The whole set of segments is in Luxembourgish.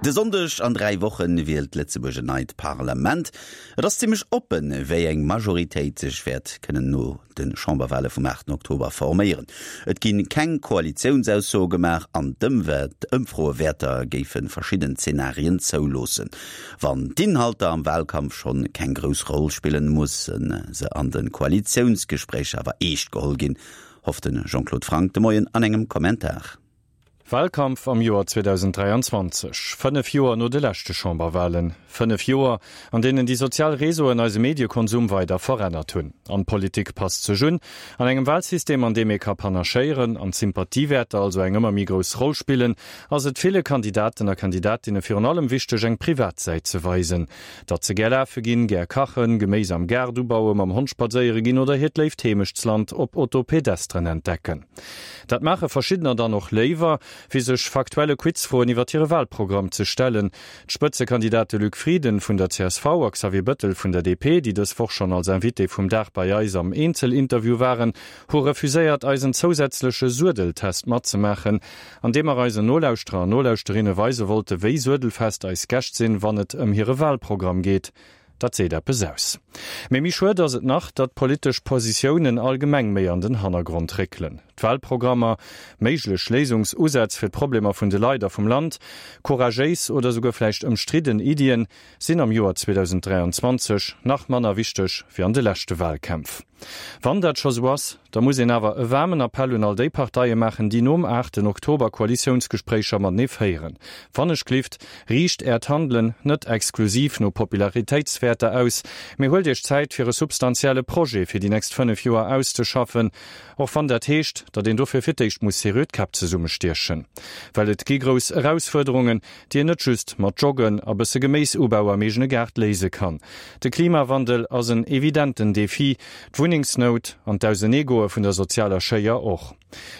De Sonndeg an 3 Wochen wielt Lëtzebuerg en neit Parlament. Et ass zimmlech oppen, wéi eng Majoritéit sech wäert kënnen no de Chamberwale vum 8 Oktober forméieren. Et gi keng Koalitiounsaussoe gemaach an d'Ëmfroewäerter géife verschidden Zenarien zouloossen. Wann d'Inhalter am Walkampf schonn keng grouss Roll spillen, musse se an de Koalitiounsgespréicher awer eescht geholl ginn, hofft de Jean-Claude Franck de Moien an engem Kommentar. Walkampf am Joer 2023, 5 Joer no de leschte Chamberwalen. 5 Joer, an deenen déi sozial Réseauen eise Mediekonsum weider verännert hunn. An d'Politik passt sech un. An engem Walsystem, an deem ee ka panachéieren an d'Sympathiewäerter also eng ëmmer méi grouss Roll spillen, ass et ville Kandidaten a Kandidatinne virun allem wichteg, eng privat Säit ze weisen. Datt se gär lafe ginn, gär kachen, Geméis am Gaart ubauen, mam Hond spadséiere ginn oder hiert léift Heemechtsland op Autopedestren entdecken. Dat maache verschiddener dann och léiwer, wéi sech faktuelle Quizfroen iwwer hire Walprogramm ze stellen. D'Spëtzekandidate Luc Frieden vun der csv a Xavier Bëttel vun der DP, déi dës Woch schonn als Invité vum Dag bei eis am Eenzelinterview waren, hu refuséiert, eisen zousätzleche Suedeltest matzemaachen, an deem mer eisen Nolauschterer an Nolauschtererinne weise wollte, wéi suedelfest eis Gäscht sinn, wann et ëm hire Walprogramm geet. Dat seet eppes aus. Mee méi schued ass et nach, datt politesch Positiounen allgemeng méi an den Hannergrond réckelen. D'Wahlprogrammer, méiglech Léisungsusätz fir d'Problemer vun de Leit a vum Land, couragéis oder souguer vläicht ëmstridden Iddien sinn am Joer 2023 nach manner wichteg wéi an de leschte Wahlkämpf. Wann dat scho sou ass, da muss een awer e waarmen Appell un all déi Parteie maachen, déi nom aachten Oktober Koalitiounsgespréicher matenee féieren. Wannechglift, riicht Äert Handelen net exklusiv no Popularitéitswäerter aus, mee huelt Iech Zäit fir e substantielle Projet fir déi nächst 5 Joer auszeschaffen, och wann dat heescht, datt een dofir fir d'éischt muss seriö d'Käpp zesummestiechen. Well et gi grouss Erausfuerderungen, déi een net just mat Joggen a bësse Geméisubau am eegene Gaart léise kann. De Klimawandel ass en evidenten Defi, d'Wunnengsnout an d'Auseneegoe vun der sozialer Schéier och.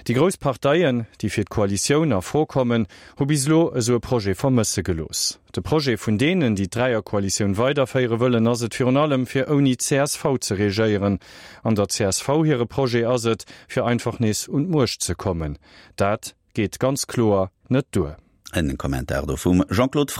Déi grouss Parteien, déi fir d'Koalitioun a Fro kommen, hu bis elo esou e Projet vermësse gelooss. De Projet vun deenen, déi d'Dräierkoalitioun weiderféiere wëllen, ass et virun allem, fir ouni csv ze regéieren. An der csv hire Projet ass et, fir einfach nees un d'Muecht ze kommen. Dat geet ganz kloer net duer. En Kommentar do vum Jean-Claude Franck.